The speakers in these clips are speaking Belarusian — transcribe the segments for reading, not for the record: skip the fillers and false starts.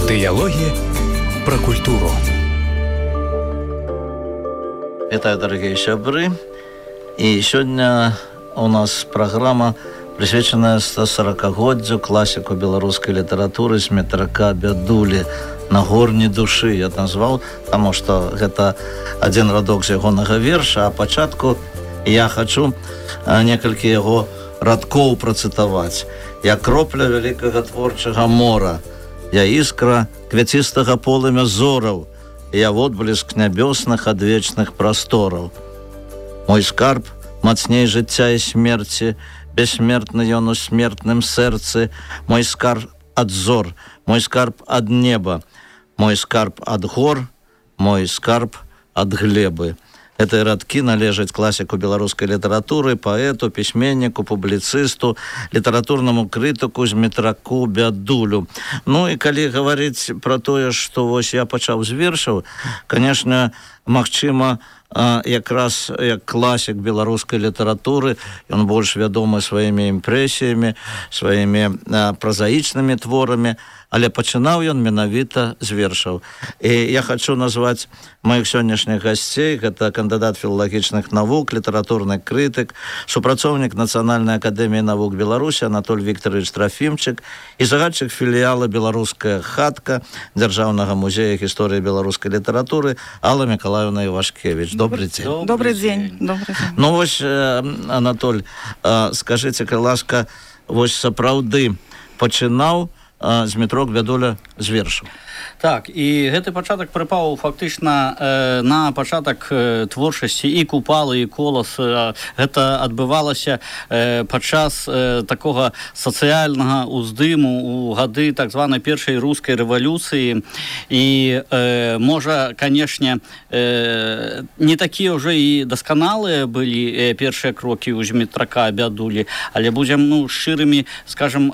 Дыялогі пра культуру. Вітаю, дарагія сябры. І сёння у нас праграма, прысвечаная 140-годдзю класіку беларускай літаратуры Змітрака Бядулі «Нагорні душы». Я назваў, таму што гэта адзін радок з ягонага верша, а пачатку я хачу некалькі яго радкоў працытаваць. Я кропля вялікага творчага мора, я іскра квяцістага полымя зораў, я водбліск нябёсных адвечных прастораў. Мой скарб мацней жыцця і смерці, бессмертны ён у смертным сэрцы. Мой скарб ад зор, мой скарб ад неба, мой скарб ад гор, мой скарб ад глебы. Гэтыя радкі належаць класіку беларускай літаратуры, паэту, пісьменніку, публіцысту, літаратурнаму крытыку Змітраку Бядулю. Ну і калі гаварыць пра тое, што вось я пачаў з вершаў, канешне, магчыма, якраз як класік беларускай літаратуры, ён больш вядомы сваімі імпрэсіямі, сваімі празаічнымі творамі, але пачынаў ён менавіта з вершаў. І я хачу назваць маіх сённяшніх гасцей. Гэта кандыдат філалагічных навук, літаратурны крытык, супрацоўнік Нацыянальнай акадэміі навук Беларусі Анатоль Віктарович Трафімчык і загадчык філіяла «Беларуская хатка» Дзяржаўнага музея гісторыі беларускай літаратуры Алла Мікалаевна Івашкевич. Добрый день. Добрый день. Ну вось, Анатоль, скажыце, калі ласка, вось сапраўды пачынаў Змітрок Бядуля з вершаў. Так, і гэты пачатак прыпаў фактычна на пачатак творчасці і Купалы, і Колас. Гэта адбывалася падчас такога сацыяльнага ўздыму у гады так званай першай рускай рэвалюцыі. І можа, канешне, не такія ўжо і дасканалыя былі першыя крокі ў Змітрака Бядулі, але будзем шчырымі, скажам,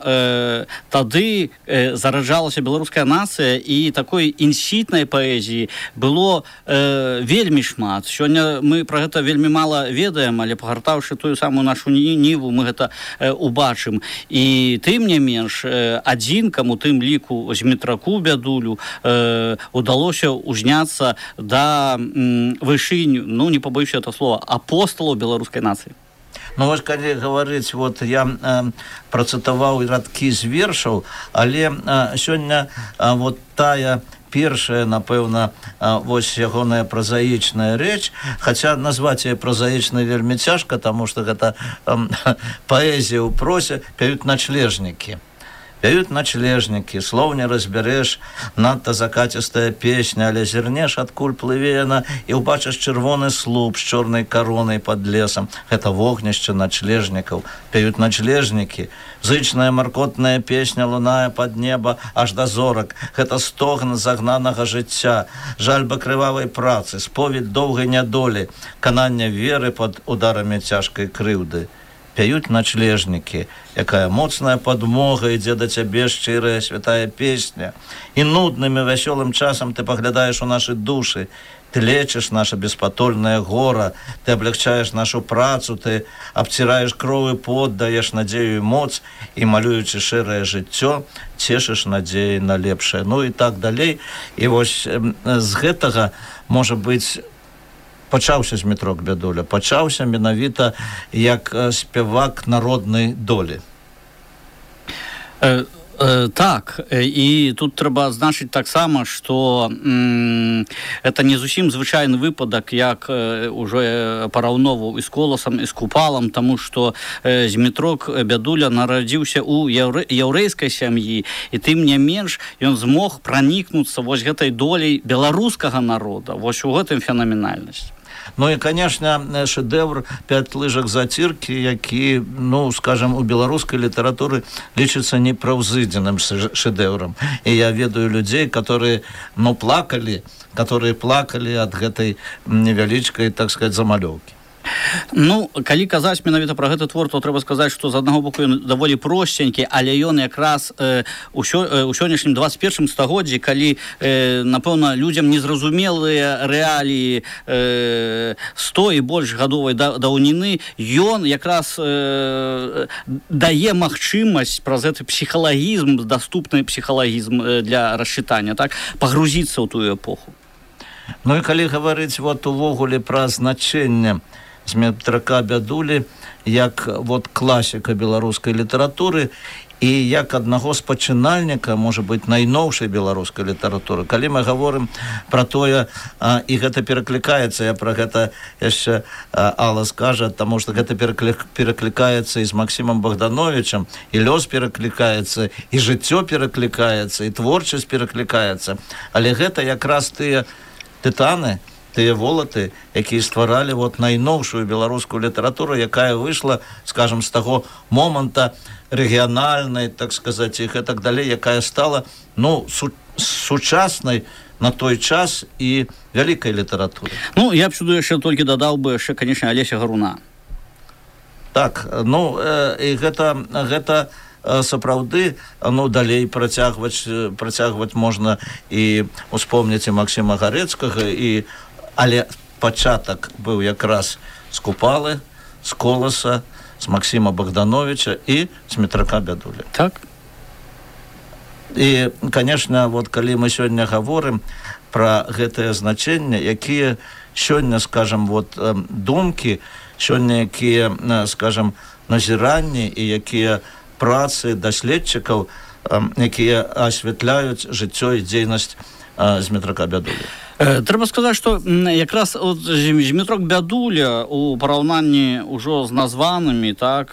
тады зараджалася беларуская нацыя, і такой інсітнай паэзіі было вельмі шмат. Сёння мы пра гэта вельмі мала ведаем, але пагартаўшы тую самую нашу ніву, мы гэта убачым. І тым не менш, адзінкам, у тым ліку Змітраку Бядулю, удалося узняцца да вышынь, не пабоюся гэта слова, апосталаў беларускай нацыі. Ну, вось, калі гаварыць, вот я працытаваў радкі з вершаў, але сёння вот тая першая, напэўна, вось ягоная празаічная рэч, хаця назваць яе празаічнай вельмі цяжка, таму што гэта паэзія ў просе, пяюць начлежнікі. Пяюць начлежнікі, слоў не разбярэш, надта закацістая песня, але зірнеш, адкуль плыве яна, і ўбачыш чырвоны слуп з чорнай каронай пад лесам. Гэта вогнішча начлежнікаў. Пяюць начлежнікі. Зычная маркотная песня лунае пад неба аж да зорак. Гэта стогн загнанага жыцця, жальба крывавай працы, споведь доўгай нядолі, канання веры пад ударамі цяжкай крыўды. Пяюць начлежнікі, якая моцная падмога, ідзе да цябе шчырая святая песня. І нудным і вясёлым часам ты паглядаеш у нашы душы, ты лечыш наша беспатольная гора, ты аблягчаеш нашу працу, ты абціраеш кроў і пот, даеш надзею і моц, і, малюючы шэрае жыццё, цешыш надзеі на лепшае. Ну і так далей. І вось з гэтага, можа быць, пачаўся Змітрок Бядуля, пачаўся менавіта як спявак народнай долі. Так, і тут трэба адзначыць таксама, што гэта не зусім звычайны выпадак, як ужо параўноўваў і з Коласам, і з Купалам, таму што Змітрок Бядуля нарадзіўся ў яўрэйскай сям'і, і тым не менш ён змог пранікнуцца вось гэтай доляй беларускага народа. Вось у гэтым фенаменальнасць. Ну і, канешне, шэдэўр «Пяць лыжак заціркі», які, скажам, у беларускай літаратуры лічыцца непраўзыдзеным шэдэўрам. І я ведаю людзей, которые, плакалі ад гэтай невялічкай, так сказать, замалёўкі. Ну, калі казаць менавіта пра гэты твор, то трэба сказаць, што з аднаго боку ён даволі просценькі, але ён якраз у сённяшнім 21 стагоддзі, калі, напэўна, людзям незразумелыя рэаліі 100 і больш гадовай даўніны, ён якраз дае магчымасць праз гэты псіхалагізм, даступны псіхалагізм для расчытання, так, пагрузіцца ў тую эпоху. Ну і калі гаварыць вот увогуле пра значэнне Змітрака Бядулі як вот класіка беларускай літаратуры і як аднаго з пачынальніка, можа быць, найноўшай беларускай літаратуры. Калі мы гаворым пра тое, і гэта пераклікаецца, я пра гэта яшчэ Алла скажа, таму што гэта пераклікаецца і з Максімам Богдановичам, і лёс пераклікаецца, і жыццё пераклікаецца, і творчасць пераклікаецца. Але гэта якраз тыя тытаны, тыя волаты, якія стваралі вот найноўшую беларускую літаратуру, якая выйшла, скажем, з таго моманта рэгіянальнай, так сказаць, і гэтак далей, якая стала, ну, сучаснай на той час і вялікай літаратуры. Ну, я б сюды яшчэ толькі дадаў бы яшчэ, канечне, Алеся Гаруна. Так, ну, і гэта сапраўды, ну, далей працягваць можна і успомніць і Максіма Гарэцкага, але пачатак быў якраз з Купалы, з Коласа, з Максіма Богдановича і Змітрака Бядулі. Так. І, канешне, вот калі мы сёння гаворым пра гэтае значэнне, якія сёння, скажам, вот думкі, сёння якія, скажам, назіранні і якія працы даследчыкаў, якія асвятляюць жыццё і дзейнасць Змітрака Бядулі. Трэба сказаць, што якраз Змітрок Бядуля у параўнанні ўжо з названымі, так,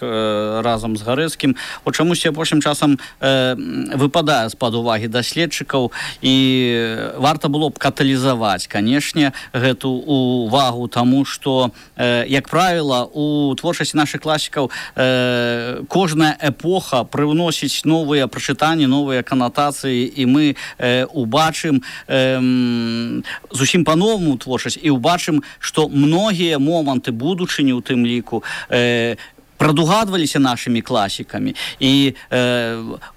разам з Гарэцкім, от чамусьці апошнім часам выпадае з-пад увагі даследчыкаў, і варта было б каталізаваць, канешне, гэту увагу, таму што, як правіла, у творчасці нашых класікаў кожная эпоха прыўносіць новыя прачытанні, новыя канатацыі, і мы убачым зусім па-новаму творчасць і ўбачым, што многія моманты будучыні ў тым ліку прадугадваліся нашымі класікамі. І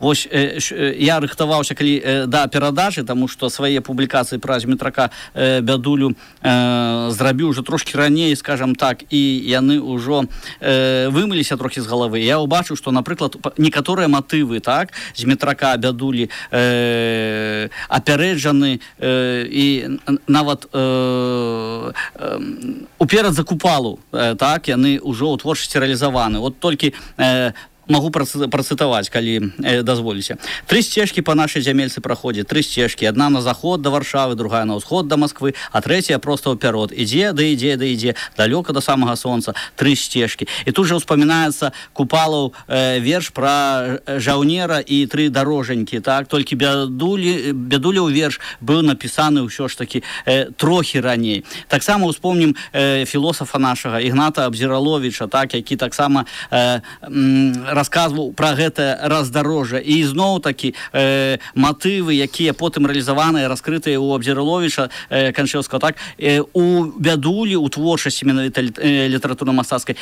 вось я рыхтаваўся калі да перадачы, таму што свае публікацыі пра Змітрака Бядулю зрабіў ўжо трошкі раней, скажам так, і яны ўжо вымыліся трохі з галавы. Я ўбачыў, што, напрыклад, некаторыя матывы, так, Змітрака Бядулі апярэджаны і нават уперад за Купалу, так, яны ўжо ў творчасці рэалізаваны. Вот толькі могу працытаваць, калі дазволіце. 3 сцежкі па нашай зямельцы праходзяць, 3 сцежкі. Адна на заход да Варшавы, другая на ўсход да Масквы, а трэцяя проста ўперод. Ідзе, да ідзе, да ідзе, далёка да самага сонца. 3 сцежкі. І тут жа ўспамінаецца Купалаў верш пра жаўнера і 3 дарожанькі, так? Толькі Бядуляў верш быў напісаны ўсё ж такі трохі раней. Таксама ўспомнім філосафа нашага Ігната Абзіраловіча, так, які таксама расказваў пра гэта раздарожжа. І зноў-такі матывы, якія потым рэалізаваныя, раскрытыя ў Абзіраловіча Канчэўскага, так, у Бядулі, у творчасці менавіта літаратурна-мастацкай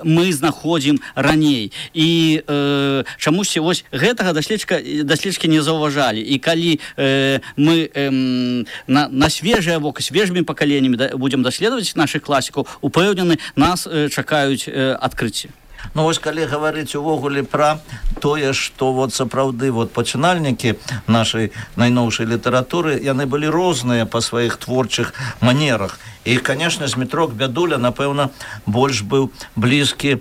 мы знаходзім раней. І чамусьці вось гэтага даследчыкі не заўважалі. І калі мы на свежае вока, свежымі пакаленнямі будзем даследаваць нашых класікаў, упэўнены, нас чакаюць адкрыцці. Ну, вось калі гаварыць увогуле пра тое, што вот сапраўды вот пачынальнікі нашай найноўшай літаратуры, яны былі розныя па сваіх творчых манерах. І, канешне, Змітрок Бядуля, напэўна, больш быў блізкі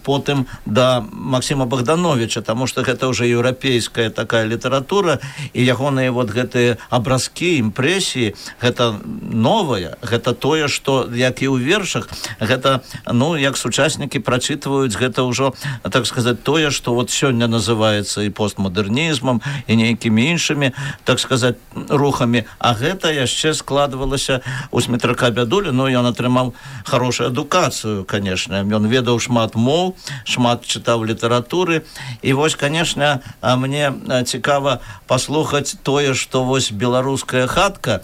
потым да Максіма Богдановича, таму што гэта ўжо еўрапейская такая літаратура, і ягоныя вот гэтыя абразкі, імпрэсіі, гэта новае, гэта тое, што, як і ў вершах, гэта, ну, як сучаснікі прачытваюць быць, гэта ўжо, так сказаць, тое, што вот сёння называецца і постмадэрнізмам, і нейкімі іншымі, так сказаць, рухамі, а гэта яшчэ складвалася у Змітрака Бядулі. Ну, ён атрымаў хорошую адукацыю, конечно, ён ведаў шмат моў, шмат чытаў літаратуры, і вось, конечно, мне цікава паслухаць тое, што вось беларуская хатка,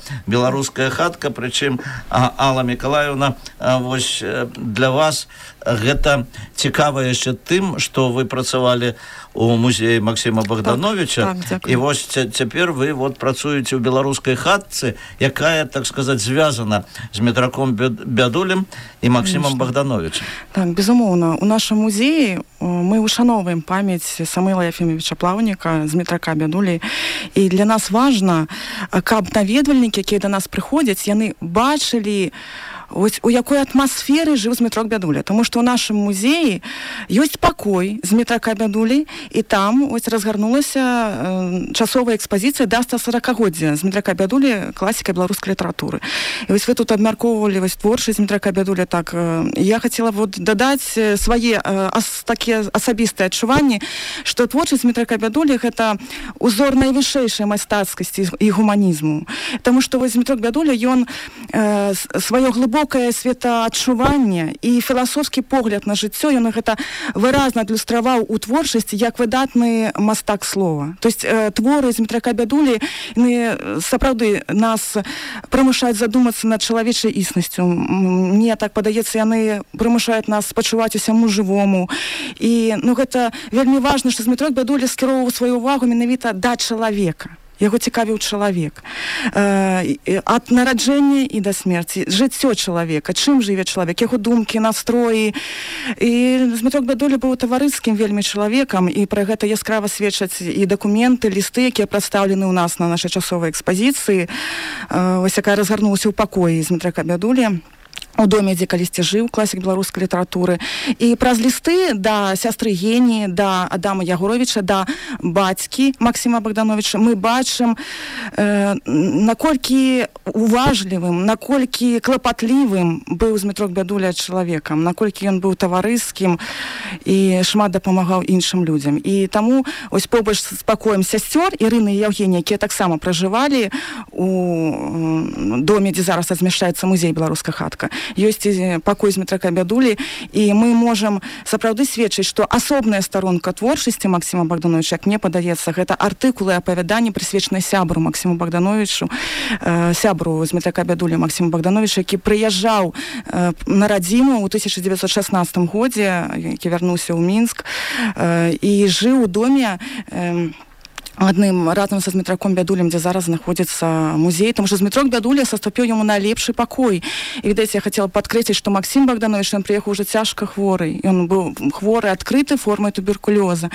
прычым Алла Миколаевна, вось для вас гэта цікава яшчэ тым, што вы працавалі у музеі Максима Богдановича, і вось цяпер вы вот працуеце ў беларускай хатцы, якая, так сказаць, звязана з Змітраком Бядулем і Максимом Богдановичем. Так, безумоўна. У нашым музеі мы ушановваем памяць Самуила Ефимовича Плаўніка, Змітрака Бядулі, і для нас важна, каб наведвальнікі, якія да нас прыходзяць, яны бачылі, ось у якой атмасферы жыў Змітрок Бядуля, тому што ў нашым музеі ёсць пакой Змітрака Бядулі, і там ось разгарнулася часовая экспазіцыя да 140-годдзя Змітрака Бядулі, класіка беларускай літаратуры. І вось вы тут абмяркоўвалі вось творчасць Змітрака Бядулі, так, я хацела вот дадаць свае такія асабістыя адчуванні, што творчасць Змітрака Бядулі гэта узор найвышэйшай майстацкасці і гуманізму. Таму што вось Змітрок Бядуля, ён сваё глыбокае светаадчуванне і філасофскі погляд на жыццё, ён гэта выразна адлюстраваў у творчасці як выдатны мастак слова. То есть творы Змітрака Бядулі сапраўды нас прымушаюць задумацца над чалавечай існасцю. Мне так падаецца, яны прымушаюць нас спачуваць усяму жывому. І гэта вельмі важна, што Змітрок Бядуля скіроўваў сваю ўвагу менавіта да чалавека. Яго цікавіў чалавек. Ад нараджэння і да смерці. Жыццё чалавека, чым жыве чалавек, яго думкі, настроі. І Змітрок Бядуля быў таварыскім вельмі чалавекам, і пра гэта яскрава сведчаць і дакументы, лісты, якія прадстаўлены ў нас на нашай часовай экспазіцыі, ось якая разгарнулася ў пакоі Змітрака Бядулі, у доме, дзе калісьці жыў класік беларускай літаратуры. І праз лісты да сястры Гені, да Адама Ягоровіча, да бацькі Максима Богдановича мы бачым, наколькі уважлівым, наколькі клапатлівым быў Змітрок Бядуля чалавекам, наколькі ён быў таварыскім і шмат дапамагаў іншым людзям. І таму ось побач з пакоем сясцёр Ірыны і Евгенія, якія таксама пражывалі у доме, дзе зараз размяшчаецца музей беларуская хатка, ёсць пакой Змітрака Бядулі, і мы можам сапраўды сведчыць, што асобная старонка творчасці Максима Богдановича, як мне падаецца, гэта артыкулы і апавяданні, прысвечаныя сябру Максиму Богдановичу, сябру Змітрака Бядулі Максиму Богдановичу, які прыязджаў на радзіму ў 1916 годзе, які вярнуўся ў Мінск і жыў у доме адным разам са Змітраком Бядулем, дзе зараз знаходзіцца музей, тому што Змітрок Бядуля саступіў яму найлепшы пакой. І, відаць, я хацела падкрэсліць, што Максим Богданович, ён прыехаў уже цяжка хворы. Ён быў хворы адкрыты формай туберкулёза.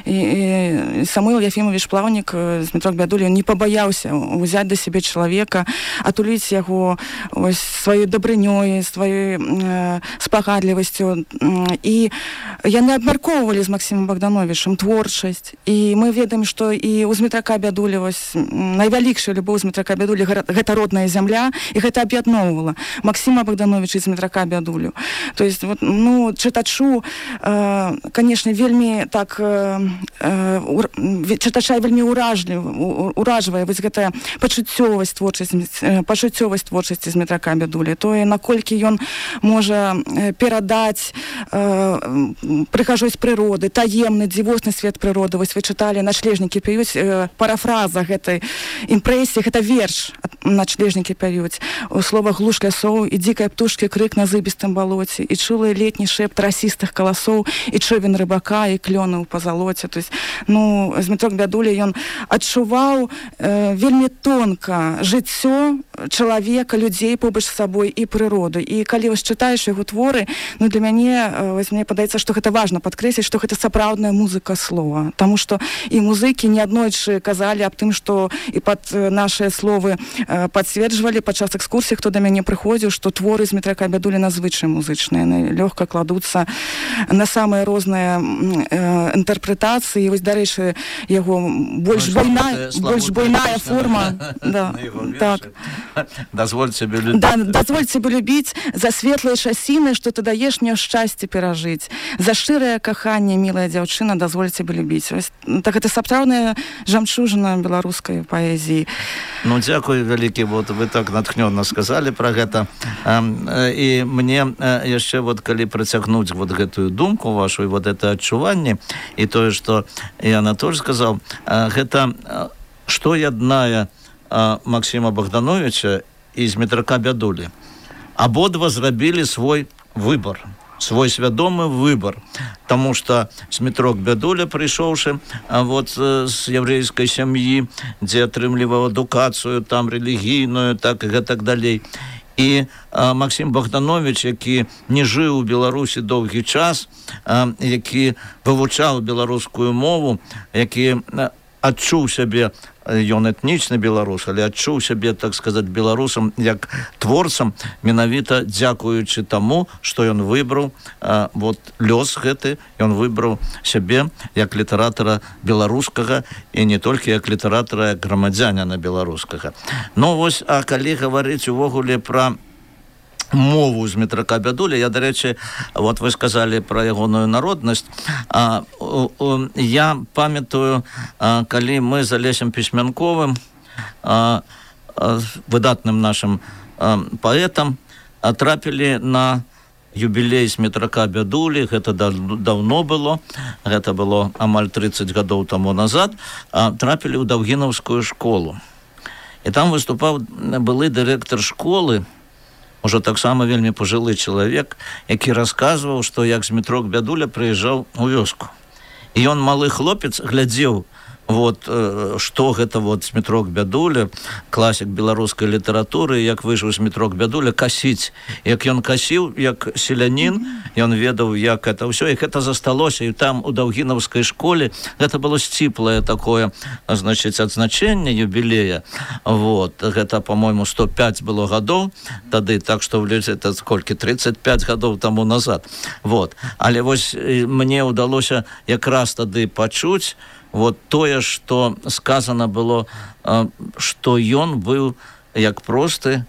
І Самуил Ефимович Плаўнік, Змітрок Бядуля, не пабаяўся ўзяць да сябе чалавека, атуліць яго сваёй дабрынёй, сваёй спагадлівасцю. І яны абмяркоўвалі з Максимом Богдановичем творчасць. І мы ведаем, што і у Змітрака Бядулі найвялікшая любоў Змітрака Бядулі гэта родная зямля, і гэта аб'ядноўвала Максима Богдановича і Змітрака Бядулю. То есть, чытачу, конечно, вельмі так чытача вельмі уражвае вось гэтая пачуццёвасць творчасці Змітрака Бядулі, тое, наколькі ён можа перадаць прыгажосць прыроды, таемны, дзівосны свет прыроды. Вось вы чыталі «Начлежнікі п'юць», парафраза гэтай імпрэсіі, гэта верш «Начлежнікі п'юць». У словах глуш лясоў і дзікай птушкі крык на зыбістым балоце, і чулы летні шэпт расістых каласоў, і човен рыбака, і клёны ў пазалоце. То есть, Змітрок Бядуля, ён адчуваў вельмі тонка жыццё чалавека, людзей побач з сабой і прыроду. І калі вось чытаеш яго творы, для мяне, мне падаецца, што гэта важна падкрэсліць, што гэта сапраўдная музыка слова. Таму што і музыкі неаднойчы казалі аб тым, што і пад нашыя словы пацверджвалі падчас экскурсій, хто да мяне прыходзіў, што творы Змітрака Бядулі надзвычай музычныя, яны лёгка кладуцца на самыя розныя інтэрпрэтацыі. Вось, дарэчы, яго больш буйная форма. Так. дазволь себе любіць. Да, дазволь себе любіць за светлыя часіны, што ты даеш мне шчасце перажыць. За шчырае каханне, мілая дзяўчына, дазволь себе любіць. Так это сапраўдная жамчужына беларускай паэзіі. Ну, дзякуй вялікі, вот вы так натхнённа сказалі пра гэта. І мне яшчэ, вот, калі працягнуць вот гэтую думку вашу, і вот это адчуванне, і тое, што і Анатоль сказаў, гэта што яднае Максима Богдановича і Змітрака Бядулі. Абодва зрабілі свой выбор, свой свядомы выбор, таму што Змітрок Бядуля, прыйшоўшы вот з яўрэйскай сям'і, дзе атрымліваў адукацыю там рэлігійную, так і гэтак далей. І Максим Богданович, які не жыў у Беларусі доўгі час, які вывучаў беларускую мову, які адчуў сябе, ён этнічны беларус, але адчуў сябе, так сказаць, беларусам як творцам, менавіта дзякуючы таму, што ён выбраў вот лёс гэты, ён выбраў сябе як літаратара беларускага і не толькі як літаратара, як грамадзяніна беларускага. Ну вось, а калі гаварыць увогуле пра мову Змітрака Бядулі, я, дарэчы, вот вы сказалі пра ягоную народнасць. Я памятаю, калі мы з Алесем Пісьмянковым, выдатным нашым паэтам, трапілі на юбілей Змітрака Бядулі, гэта даўно было, гэта было амаль 30 гадоў таму назад, трапілі ў Даўгінаўскую школу. І там выступаў былы дырэктар школы, уже таксама вельмі пажылы чалавек, які расказваў, што як Змітрок Бядуля прыязджаў у вёску. І ён, малы хлопец, глядзеў, вот, што гэта вот Змітрок Бядуля, класік беларускай літаратуры, як выйшаў Змітрок Бядуля касіць. Як ён касіў, як селянін, ён ведаў, як это ўсё, і гэта засталося. І там у Даўгінаўскай школе гэта было сціплае такое, значыць, адзначэнне юбілея. Вот, гэта, по-мойму, 105 было гадоў тады, так што это сколькі, 35 гадоў таму назад. Вот. Але вось мне ўдалося якраз тады пачуць вот тое, што сказана было, што ён быў як просты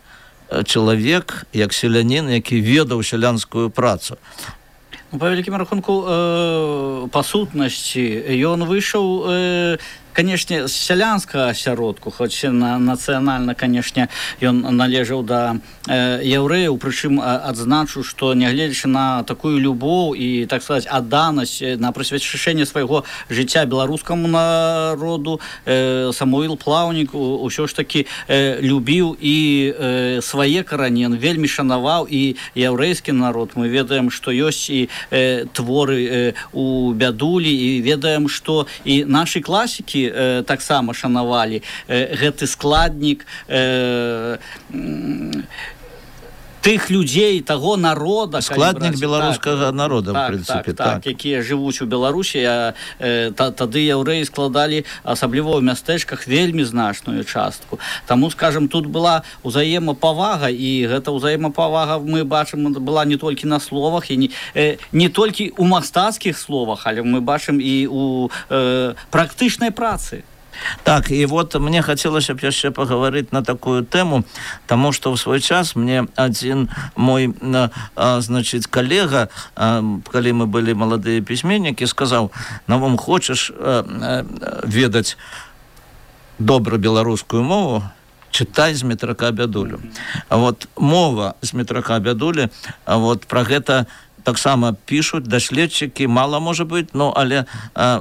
чалавек, як селянін, які ведаў сялянскую працу. Па вялікім рахунку, па сутнасці, ён выйшаў, канешне, з сялянскага асяродку, хоць нацыянальна, канешне, ён належаў да яўрэяў, прычым адзначу, што нягледзячы на такую любоў і, так сказаць, адданасць на прысвячэнне свайго жыцця беларускаму народу, Самуіл Плаўнік усё ж такі любіў і свае карані, ён вельмі шанаваў і яўрэйскі народ. Мы ведаем, што ёсць і творы у Бядулі, і ведаем, што і нашы класікі таксама шанавалі гэты складнік тых людзей, таго народа, складнік беларускага народа, в прынцыпе, так, якія жывуць у Беларусі, тады яўрэі складалі, асабліва ў мястэчках, вельмі значную частку. Таму, скажем, тут была ўзаемапавага, і гэта ўзаемапавага, мы бачым, была не толькі на словах, і не толькі ў мастацкіх словах, але мы бачым і ў практычнай працы. Так, і вот мне хацелася б яшчэ пагаварыць на такую тэму, таму што ў свой час мне адзін мой, значыць, калега, калі мы былі маладыя пісьменнікі, сказаў: «Навум, хочаш ведаць добра беларускую мову, чытай Змітрака Бядулю». Вот мова Змітрака Бядулі, вот пра гэта таксама пішуць даследчыкі, мала можа быць, ну, але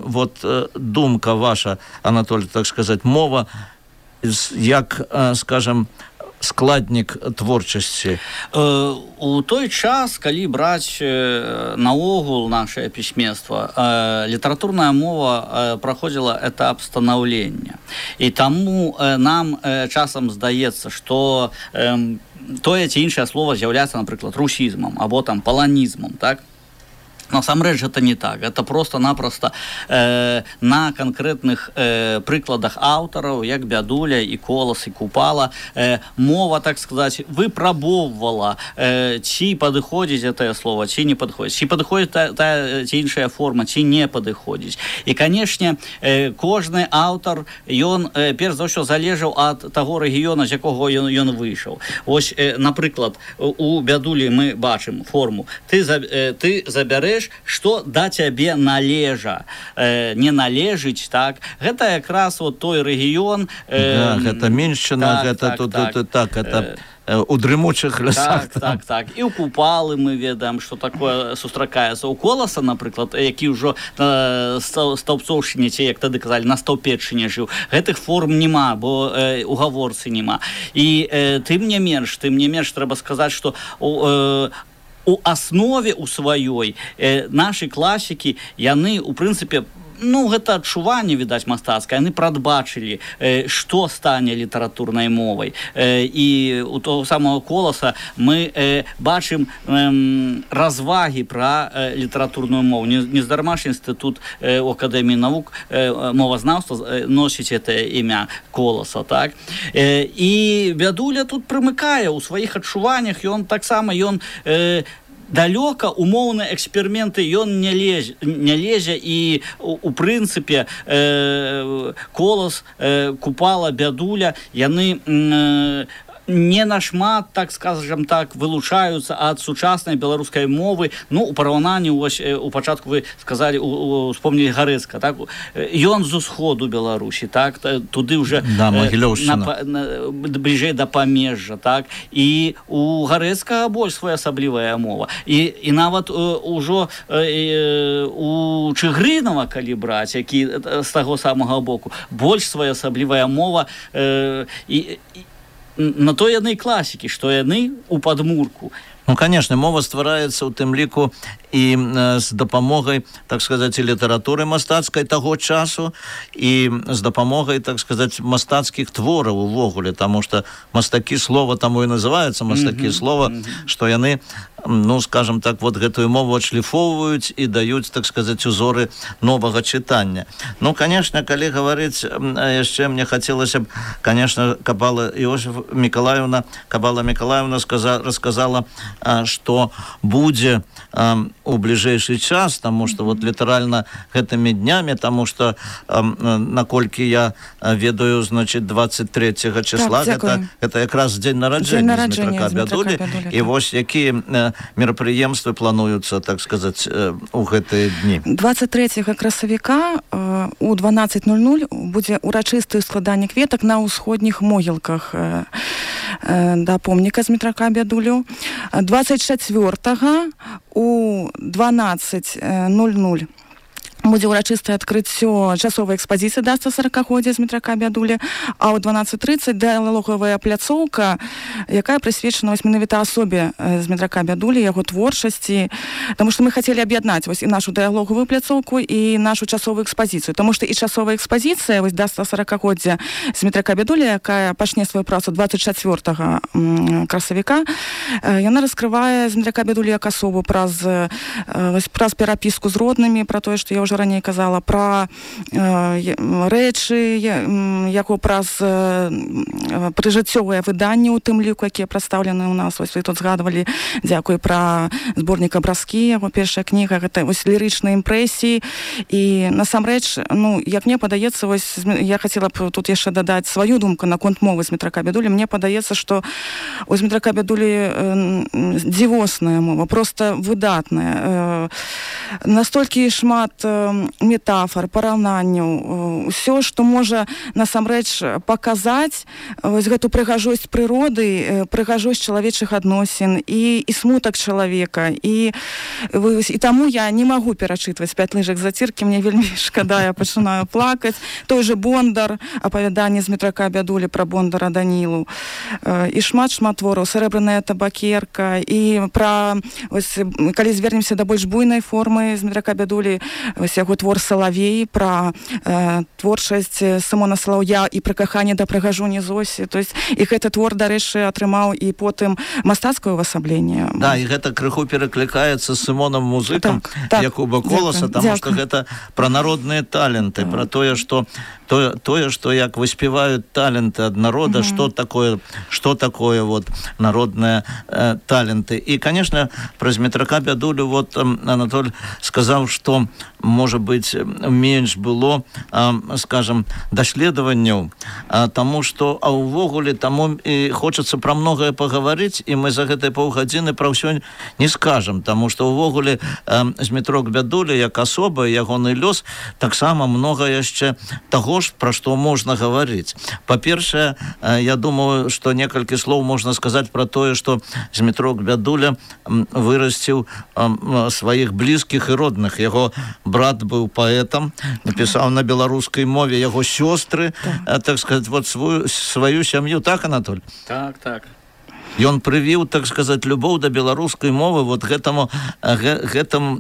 вот думка ваша, Анатоль, так сказаць, мова як, скажем, складнік творчасці. У той час, калі браць наогул нашае пісьменства, літаратурная мова праходзіла этап станаўлення. І таму нам часам здаецца, што тое ці іншае слова з'яўляецца, напрыклад, русізмам або там паланізмам, так? Насамрэч гэта не так, это просто-напросто на конкретных прыкладах аўтараў, як Бядуля і Колас і Купала, мова, так сказать, выпрабоўвала, ці падыходзіць гэтае слово, ці не падыходзіць, ці падыходзіць та ці іншая форма, ці не падыходзіць. І, канешне, кожны аўтар, ён перш за ўсё залежаў ад таго рэгіёна, з якога ён выйшаў. Вось, напрыклад, у Бядулі мы бачым форму. Ты забярэш, што да цябе належа, не належыць, так? Гэта якраз вот той рэгіён... Да, гэта Меншчына, гэта гэта у дрымучых лясах. Так. І ў Купалы мы ведаем, што такое сустракаецца. У Коласа, напрыклад, які ўжо на Стаўбцоўшчыне, ці, як тады казалі, на Стаўпеччыне жыў. Гэтых форм нема, бо у гаворцы нема. І тым не менш, трэба сказаць, што у аснове у сваёй нашы класікі, яны, у прынцыпе, гэта адчуванне, відаць, мастацкае, яны прадбачылі, што стане літаратурнай мовай. І у того самого Коласа мы бачым развагі пра літаратурную мову. Нездарма ж інстытут у Акадэміі навук мовазнаўства носіць гэтае імя Коласа, так? І Бядуля тут прымыкае ў сваіх адчуваннях, ён таксама, далёка умоўныя эксперыменты ён не лезе, і у прынцыпе Колас, Купала, Бядуля, яны не нашмат, так скажем так, вылучаюцца ад сучаснай беларускай мовы. У параўнанні, вось у пачатку вы сказалі, успомнілі Гарэцка, так? Ён з усходу Беларусі, так? Туды ўжо бліжэй да памежжа, так? І у Гарэцкага больш своеасаблівая мова. І нават ужо у Чыгрынава, калі браць, які з таго самага боку, больш своеасаблівая мова, і на то яны класікі, што яны у падмурку. Конечно, мова ствараецца ў тым ліку і з дапамогай, так сказаць, літаратуры мастацкай таго часу, і з дапамогай, так сказаць, мастацкіх твораў увогуле, таму што мастакі слова, таму і называюцца мастакі слова, што яны, скажем так, вот гэтую мову адшліфоўваюць і даюць, так сказаць, узоры новага чытання. Конечно, калі гаварыць яшчэ, мне хацелася б, конечно, Кабала Мікалаевна расказала, што будзе у бліжэйшы час, таму што вот літаральна гэтымі днямі, таму што наколькі я ведаю, значит, 23 числа, гэта якраз дзень нараджэння Змітрака Бядулі, і вось якія мерапрыемствы плануюцца, так сказаць, у гэтыя дні. 23 красавіка у 12:00 будзе урачыстае складанне кветак на ўсходніх могілках да помніка Змітрака Бядулю. 24-го у 12:00 будзе ўрачыстае адкрыццё часовай экспазіцыі да 140-годдзя Змітрака Бядулі, а ў 12:30 дыялогавая пляцоўка, якая прысвечана менавіта асобе Змітрака Бядулі, яго творчасці, таму што мы хацелі аб'яднаць і нашу дыялогавую пляцоўку і нашу часовую экспазіцыю, таму што і часовая экспазіцыя да 140-годдзя Змітрака Бядулі, якая пачне сваю працу 24 красавіка, яна раскрывае Змітрака Бядулі як асобу праз перапіску з роднымі, пра тое, што я ўжо раней казала, пра рэчы, яго праз прыжыццёвыя выданні, у тым ліку, якія прадстаўлены ў нас. Вось вы тут згадвалі, дзякуй, пра зборнік абразкі, яго першая кніга, гэта вось лірычныя імпрэсіі. І насамрэч, як мне падаецца, вось я хацела б тут яшчэ дадаць сваю думку наконт мовы Змітрака Бядулі. Мне падаецца, што у Змітрака Бядулі дзівосная мова, проста выдатная. Настолькі шмат метафор, параўнанняў, усё, што можа насамрэч паказаць вось гэту прыгажосць прыроды, прыгажосць чалавечых адносін і смутак чалавека. І таму я не магу перачытваць «5 лыжак заціркі», мне вельмі шкада, я пачынаю плакаць. Той же Бондар, апавяданне Змітрака Бядулі пра Бондара Данілу. І шмат твораў, «Срэбраная табакерка», і пра, калі звернемся да больш буйнай формы Змітрака Бядулі, яго твор «Салавей», пра творчасць Сымона Салаўя і пра каханне да прыгажуні Зосі. То есть і гэты твор, дарэчы, атрымаў і потым мастацкае ўвасабленне. Да, і гэта крыху пераклікаецца з Сымонам Музыкам, Якуба Коласа, таму што гэта пра народныя таленты, пра тое, што як выспеваюць таленты ад народа, што такое вот народныя таленты. І, конечно, праз Мітрака Бядулю вот Анатоль сказаў, што можа быць менш было, скажем, даследаванняў, таму што увогуле таму і хочацца пра многае пагаварыць, і мы за гэтыя паўгадзіны пра ўсё не скажам, таму што увогуле Змітрок Бядуля як асоба, ягоны лёс, таксама многа яшчэ таго ж, пра што можна гаварыць. Па-першае, я думаю, што некалькі слоў можна сказаць пра тое, што Змітрок Бядуля вырасціў сваіх блізкіх і родных. Яго брат быў паэтам, напісаў на беларускай мове, яго сёстры, так сказаць, вот сваю сям'ю. Так, Анатоль? Так. Ён прывіў, так сказаць, любоў да беларускай мовы вот гэтым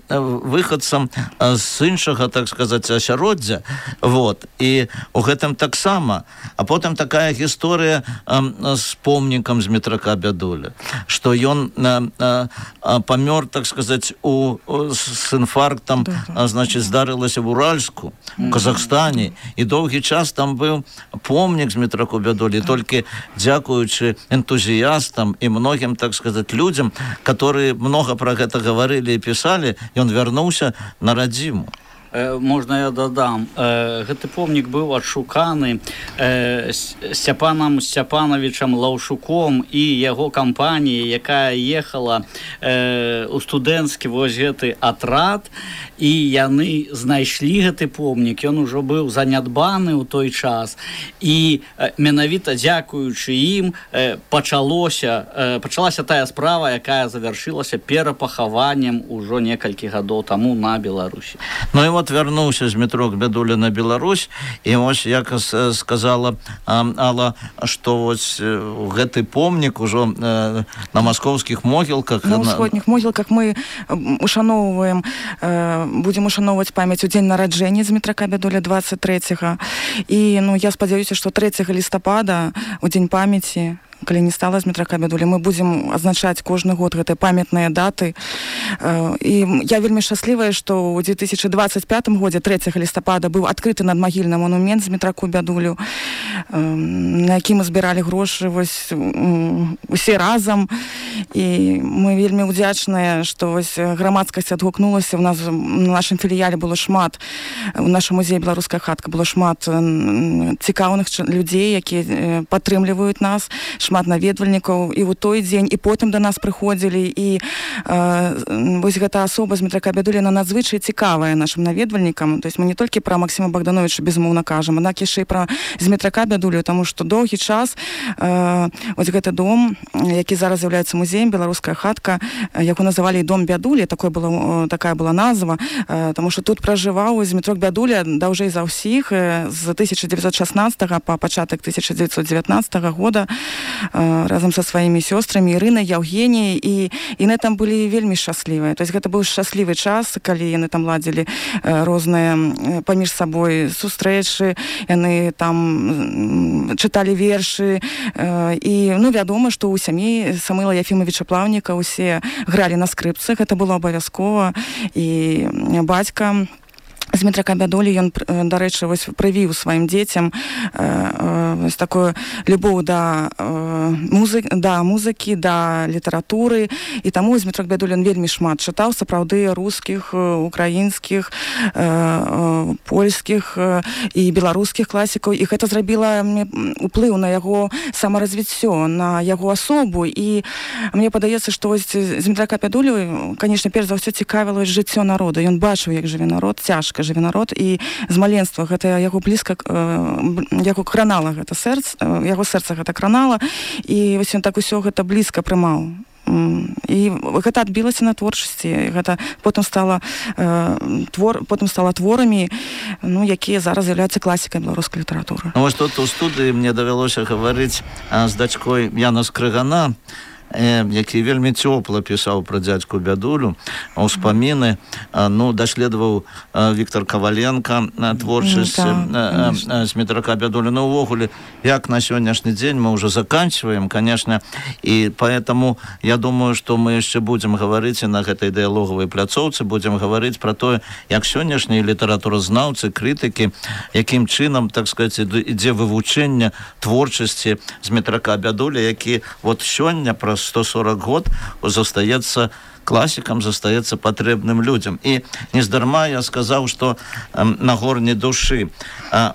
выхадцам з іншага, так сказаць, асяроддзя. Вот. І у гэтым таксама. А потым такая гісторыя з помнікам Змітрака Бядуля, што ён памёр, так сказаць, з інфарктам, значит, здарылася в Уральску, у Казахстане, і доўгі час там быў помнік Змітраку Бядулі, толькі дзякуючы энтузіястам и многим, так сказать, людям, которые много про это говорили и писали, и он вернулся на радзіму. Можна я дадам. Гэты помнік быў адшуканы Сцяпанам Сцяпановичам Лаўшуком і яго кампаніяй, якая ехала у студэнцкі вось гэты атрад, і яны знайшлі гэты помнік. Ён ужо быў занядбаны ў той час, і менавіта дзякуючы ім пачалася тая справа, якая завяршылася перапахаваннем ужо некалькі гадоў таму на Беларусі. Ну і вот вярнуўся Змітрок Бядуля на Беларусь, і вось, як сказала Алла, што вось гэты помнік ужо на маскоўскіх могілках. На ўсходніх могілках мы ушаноўваем, будзем ушаноўваць памяць у дзень нараджэння Змітрака Бядуля 23-го. І я спадзяюся, што 3 лістапада, у дзень памяці, калі не стала Змітрака Бядулі, мы будзем адзначаць кожны год гэтыя памятныя даты. І я вельмі шчаслівая, што ў 2025 годзе 3 лістапада быў адкрыты надмагільны манумент Змітраку Бядулю, на які мы збіралі грошы вось усе разам. І мы вельмі ўдзячныя, што вось грамадскасць адгукнулася. У нас на нашым філіяле было шмат, у нашым музеі «Беларуская хатка» было шмат цікаўных людзей, якія падтрымліваюць нас, шмат наведвальнікаў, і ў той дзень, і потым да нас прыходзілі, і вось гэта асоба Змітрака Бядуля, яна надзвычай цікавая нашым наведвальнікам. То есть мы не толькі пра Максіма Богдановича безумоўна кажам, аднак яшчэ і пра Змітрака Бядулю, таму што доўгі час вось гэты дом, які зараз з'яўляецца музеем «Беларуская хатка», яго называлі «Дом Бядулі», такая была назва, таму што тут пражываў Змітрок Бядуля даўжэй за ўсіх, з 1916 па пачатак 1919 года, разам са сваімі сёстрамі Ірынай, Яўгеніяй, і яны там былі вельмі шчаслівыя. То есть гэта быў шчаслівы час, калі яны там ладзілі розныя паміж сабой сустрэчы, яны там чыталі вершы, і вядома, што ў сям'і Самыла Ефімавіча Плаўніка ўсе гралі на скрыпцах, гэта было абавязкова, і бацька Змітрака Бядулі, ён, дарэчы, вось прывіў сваім дзецям вось такую любоў да музыкі, да літаратуры, і таму Змітрок Бядулі вельмі шмат чытаў, сапраўды, рускіх, украінскіх, польскіх і беларускіх класікаў, і гэта зрабіла уплыў на яго самаразвіццё, на яго асобу. І мне падаецца, што вось Змітрака Бядулю, канешне, перш за ўсё цікавіла жыццё народа. Ён бачыў, як жыве народ, цяжка жыве народ, і з маленства гэта яго блізка, яго кранала гэта сэрца, яго сэрца гэта кранала, і вось ён так усё гэта блізка прымаў. І гэта адбілася на творчасці. Гэта потым стала творамі, якія зараз з'яўляюцца класікай беларускай літаратуры. Вось тут у студыі мне давялося гаварыць з дачкой Яна Скрыгана, які вельмі цёпла пісаў пра дзядзьку Бядулю, ўспаміны, даследаваў Віктор Каваленко творчасць Змітрака Бядулі. Увогуле, як на сённяшні дзень мы уже заканчиваем, конечно, и поэтому я думаю, что мы еще будем говорить и на этой диалоговой пляцоўцы, будем говорить про то, як сённяшнія літаратуразнаўцы, крытыкі, якім чынам, так сказать, ідзе вывучэнне творчасці Змітрака Бядулі, які вот сёння праз 140 год застаецца классикам, застаецца патрэбным людям. И нездарма я сказаў, что на горні душы.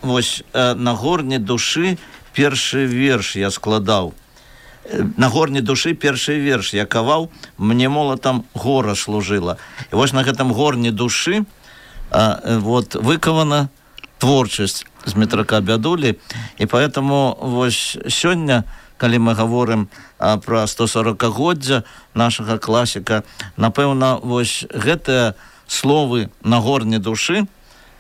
Вось на горні душы першы верш я складаў. На горні душы першы верш я каваў, мне молатам гора служыла. І вось на гэтым горні душы вот выкавана творчасць Змітрака Бядулі. І поэтому вось сёння, калі мы гаворым пра 140-годдзя нашага класіка, напэўна, вось гэтыя словы на горні душы,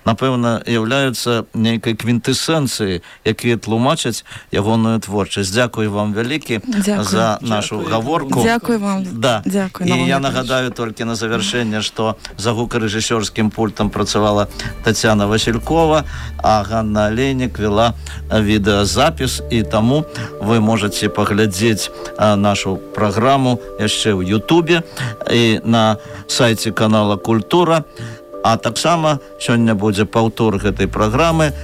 напэўна, являюцца нейкай квінтэсэнцыяй, якія тлумачаць ягоную творчасць. Дзякую вам вялікі за нашу гаворку. Дзякую вам. Да. Дзякую. І я нагадаю толькі на завяршэнне, што за гукарэжысёрскім пультам працавала Тацяна Васількова, а Ганна Алейнік вела відэазапіс, і таму вы можаце паглядзець нашу праграму яшчэ ў Ютубе і на сайце канала Культура. А таксама сёння будзе паўтор гэтай праграмы,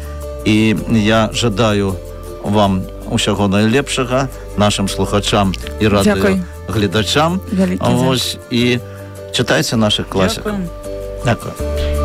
і я жадаю вам усяго найлепшага, нашим слухачам і радыёгледачам. І чытайце нашых класікаў. Дякую.